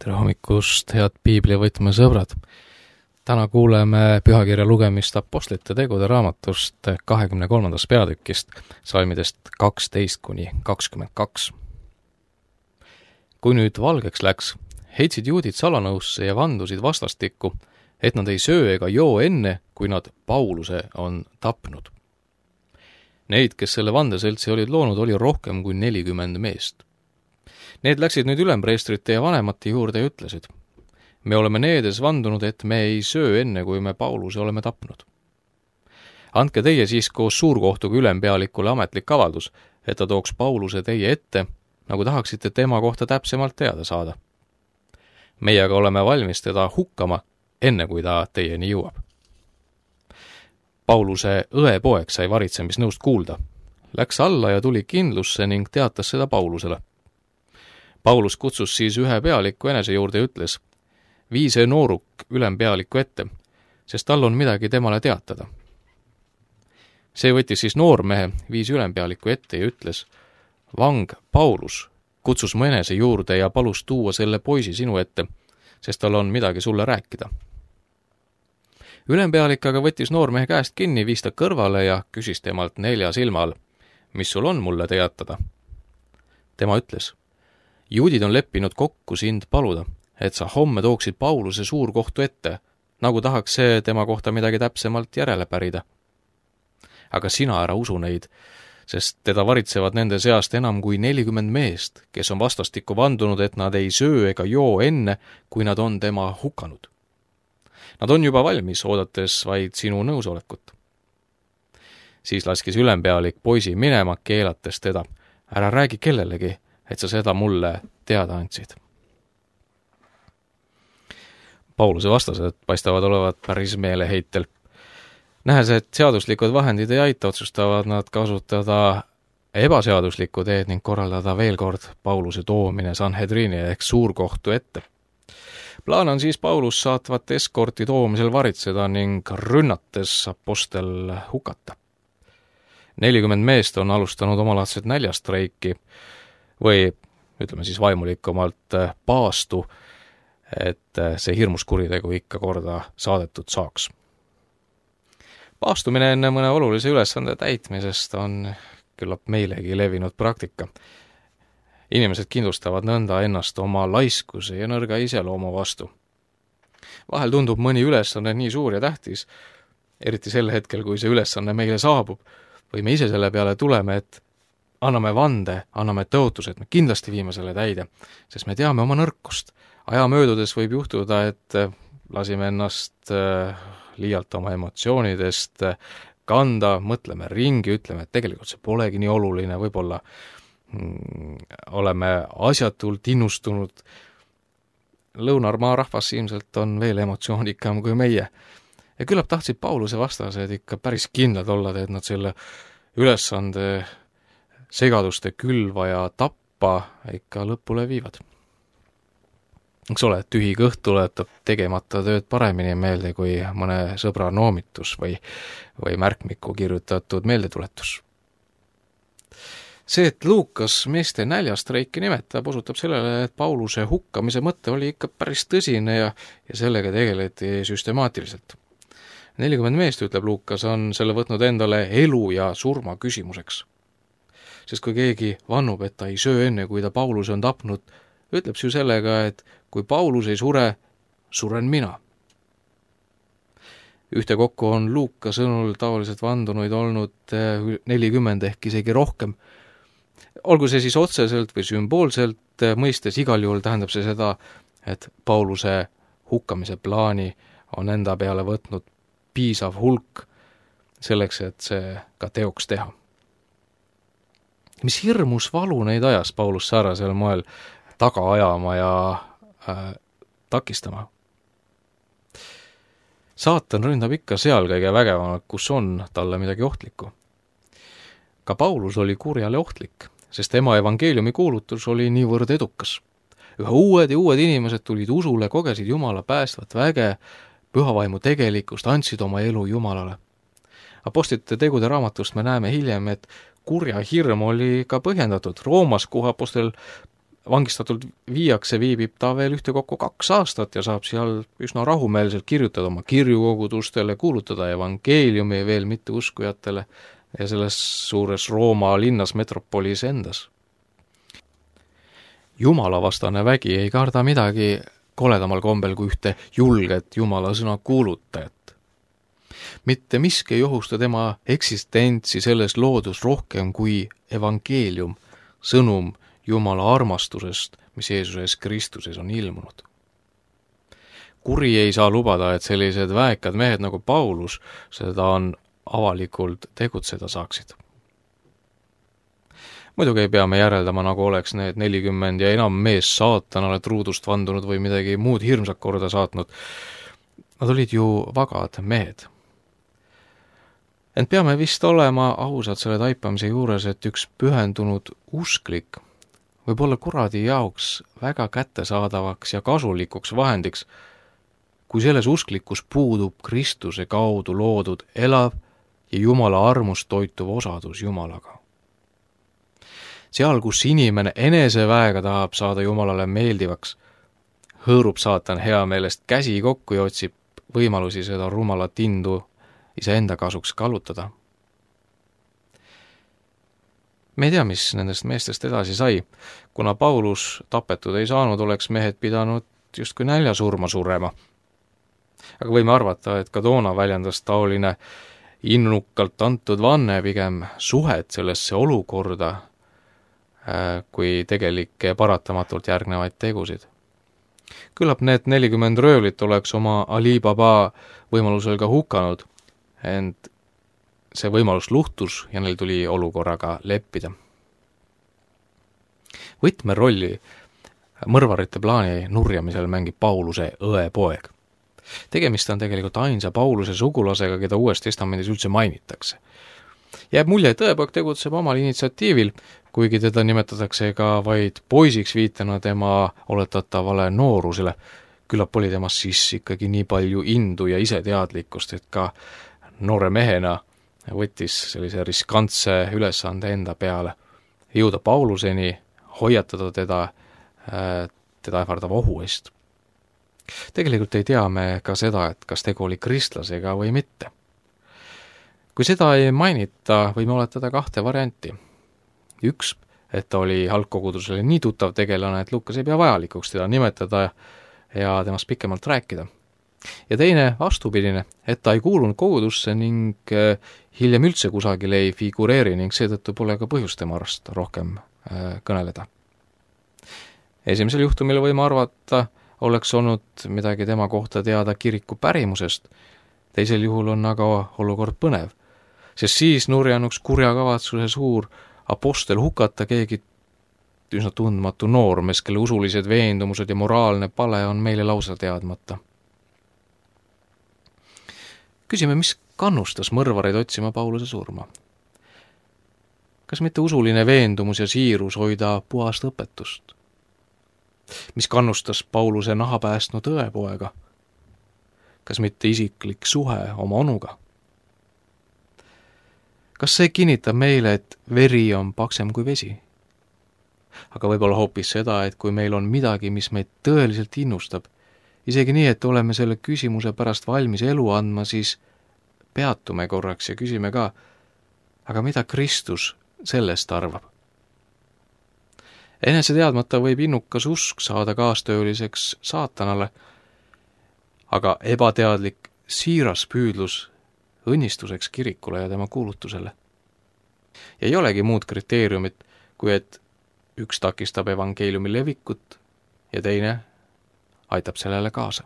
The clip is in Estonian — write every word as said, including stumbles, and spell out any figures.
tere hommikust, head piiblivõtme sõbrad! Täna kuuleme pühakirja lugemist Apostlite tegude raamatust kahekümne kolmandast peatükist, salmidest kaksteist kuni kakskümmend kaks. Kui nüüd valgeks läks, heitsid juudid salanõusse ja vandusid vastastikku, et nad ei söö ega joo enne, kui nad Pauluse on tapnud. Neid, kes selle vandeseltsi olid loonud, oli rohkem kui nelikümmend meest. Need läksid nüüd ülempreestrite ja vanemate juurde ja ütlesid: me oleme needes vandunud, et me ei söö enne, kui me Pauluse oleme tapnud. Andke teie siis koos suurkohtuga ülempealikule ametlik avaldus, et ta tooks Pauluse teie ette, nagu tahaksite tema kohta täpsemalt teada saada. Meie aga oleme valmis teda hukkama, enne kui ta teieni jõuab. Pauluse õepoeg sai varitsemisnõust kuulda. Läks alla ja tuli kindlusse ning teatas seda Paulusele. Paulus kutsus siis ühe pealiku enese juurde ja ütles: vii see nooruk ülempealiku ette, sest tal on midagi temale teatada. See võttis siis noormehe, viis ülempealiku ette ja ütles: vang Paulus kutsus mu enese juurde ja palus tuua selle poisi sinu ette, sest tal on midagi sulle rääkida. Ülempealik aga võttis noormehe käest kinni, viis ta kõrvale ja küsis temalt nelja silma all: mis sul on mulle teatada? Tema ütles: juudid on leppinud kokku sind paluda, et sa homme tooksid Pauluse suurkohtu ette, nagu tahaks see tema kohta midagi täpsemalt järele pärida. Aga sina ära usu neid, sest teda varitsevad nende seast enam kui nelikümmend meest, kes on vastastikku vandunud, et nad ei söö ega joo enne, kui nad on tema hukanud. Nad on juba valmis, oodates vaid sinu nõusolekut. Siis laskis ülempealik poisi minema, keelates teda: ära räägi kellelegi, et sa seda mulle teada andsid. Pauluse vastased paistavad olevat päris meeleheitel. Nähes, et seaduslikud vahendid ei aita, otsustavad nad kasutada ebaseaduslikku teed ning korraldada veel kord Pauluse toomine Sanhedrini ehk suurkohtu ette. Plaan on siis Paulus saatvat eskorti toomisel varitseda ning rünnates apostel hukata. nelikümmend meest on alustanud omalaadset näljastreiki või ütleme siis vaimulikumalt paastu, et see hirmus kuritegu ikka korda saadetud saaks. Paastumine enne mõne olulise ülesande täitmisest on küllap meilegi levinud praktika. Inimesed kindlustavad nõnda ennast oma laiskuse ja nõrga iseloomu vastu. Vahel tundub mõni ülesanne nii suur ja tähtis, eriti sel hetkel, kui see ülesanne meile saabub, või me ise selle peale tuleme, et anname vande, anname tõotus, et me kindlasti viime selle täide, sest me teame oma nõrkust. Aja möödudes võib juhtuda, et lasime ennast liialt oma emotsioonidest kanda, mõtleme ringi, ütleme, et tegelikult see polegi nii oluline, võib-olla mm, oleme asjatult innustunud. Lõunarmaa rahvas ilmselt on veel emotsioonikam kui meie. Ja küllap tahtsid Pauluse vastased ikka päris kindlad olla, et nad selle ülesande segaduste külva ja tappa ikka lõpule viivad. Eks ole, et tühi kõht tuletab tegemata tööd paremini meelde kui mõne sõbra noomitus või, või märkmiku kirjutatud meeldetuletus. See, et Luukas meeste näljastreiki nimetab, osutab sellele, et Pauluse hukkamise mõte oli ikka päris tõsine ja, ja sellega tegeleti süstemaatiliselt. nelikümmend meest, ütleb Luukas, on selle võtnud endale elu ja surma küsimuseks. Sest kui keegi vannub, et ta ei söö enne, kui ta Pauluse on tapnud, ütleb see ju sellega, et kui Paulus ei sure, suren mina. Ühtekokku on Luuka sõnul taoliselt vandunuid olnud nelikümmend ehk isegi rohkem. Olgu see siis otseselt või sümboolselt mõistes, igal juhul tähendab see seda, et Pauluse hukkamise plaani on enda peale võtnud piisav hulk selleks, et see ka teoks teha. Mis hirmus valu neid ajas Paulus säärasel moel taga ajama ja äh, takistama. Saatan ründab ikka seal kõige vägevamalt, kus on talle midagi ohtlikku. Ka Paulus oli kurjale ohtlik, sest tema evangeeliumi kuulutus oli niivõrd edukas. Üha uued ja uued inimesed tulid usule, kogesid Jumala päästvat väge, pühavaimu tegelikkust, andsid oma elu Jumalale. Apostlite tegude raamatust me näeme hiljem, et kurja hirm oli ka põhjendatud. Roomas, kuhu apostel vangistatult viiakse, viibib ta veel ühtekokku kaks aastat ja saab seal üsna rahumeelselt kirjutada oma kirju kogudustele, kuulutada evangeeliumi veel mitteuskujatele ja selles suures Rooma linnas metropolis endas. Jumalavastane vägi ei karda midagi koledamal kombel kui ühte julget Jumala sõna kuulutajat. Mitte miski ei ohusta tema eksistentsi selles loodus rohkem kui evangeelium, sõnum Jumala armastusest, mis Jeesuses Kristuses on ilmunud. Kuri ei saa lubada, et sellised väekad mehed nagu Paulus seda on avalikult tegutseda saaksid. Muidugi ei pea me järeldama, nagu oleks need nelikümmend ja enam mees saatanale truudust vandunud või midagi muud hirmsat korda saatnud. Nad olid ju vagad mehed. Ent peame vist olema ausad selle taipamise juures, et üks pühendunud usklik võib olla kuradi jaoks väga kättesaadavaks ja kasulikuks vahendiks, kui selles usklikus puudub Kristuse kaudu loodud elav ja Jumala armust toituv osadus Jumalaga. Seal, kus inimene eneseväega tahab saada Jumalale meeldivaks, hõõrub saatan hea meelest käsi kokku ja otsib võimalusi seda rumalat indu iseenda kasuks kallutada. Me ei tea, mis nendest meestest edasi sai. Kuna Paulus tapetud ei saanud, oleks mehed pidanud justkui näljasurma surema. Aga võime arvata, et ka toona väljendas taoline innukalt antud vanne pigem suhet sellesse olukorda, kui tegelikke paratamatult järgnevaid tegusid. Küllap need nelikümmend röövlit oleks oma Ali Baba võimalusel ka hukanud, ent see võimalus luhtus ja neil tuli olukorraga leppida. Võtmerolli mõrvarite plaani nurjamisel mängib Pauluse õepoeg. Tegemist on tegelikult ainsa Pauluse sugulasega, keda Uues Testamendis üldse mainitakse. Jääb mulje, et õepoeg tegutseb omal initsiatiivil, kuigi teda nimetatakse ka vaid poisiks viitena tema oletatavale noorusele. Küllap oli temas siis ikkagi nii palju indu ja iseteadlikkust, et ka noore mehena võttis sellise riskantse ülesande enda peale, jõuda Pauluseni, hoiatada teda, teda ähvardava ohu eest. Tegelikult ei tea me ka seda, et kas tegu oli kristlasega või mitte. Kui seda ei mainita, võime oletada kahte varianti. Üks, et ta oli algkogudusele nii tuttav tegelane, et Lukas ei pea vajalikuks teda nimetada ja temast pikemalt rääkida. Ja teine vastupidine, et ta ei kuulunud kogudusse ning hiljem üldse kusagil ei figureeri ning seetõttu pole ka põhjust tema arvast rohkem kõneleda. Esimesel juhtumil võime arvata, oleks olnud midagi tema kohta teada kiriku pärimusest, teisel juhul on aga olukord põnev, sest siis nurjanuks kurja kavatsuse suur apostel hukata keegi üsna tundmatu noormees, kelle usulised veendumused ja moraalne pale on meile lausa teadmata. Küsime, mis kannustas mõrvareid otsima Pauluse surma? Kas mitte usuline veendumus ja siirus hoida puhast õpetust? Mis kannustas Pauluse naha päästnud õepoega? Kas mitte isiklik suhe oma onuga? Kas see kinnitab meile, et veri on paksem kui vesi? Aga võib-olla hoopis seda, et kui meil on midagi, mis meid tõeliselt innustab, isegi nii, et oleme selle küsimuse pärast valmis elu andma, siis peatume korraks ja küsime ka, aga mida Kristus sellest arvab? Enese teadmata võib innukas usk saada kaastööliseks saatanale, aga ebateadlik siiras püüdlus õnnistuseks kirikule ja tema kuulutusele. Ja ei olegi muud kriteeriumit, kui et üks takistab evangeeliumi levikut ja teine aitab sellele kaasa.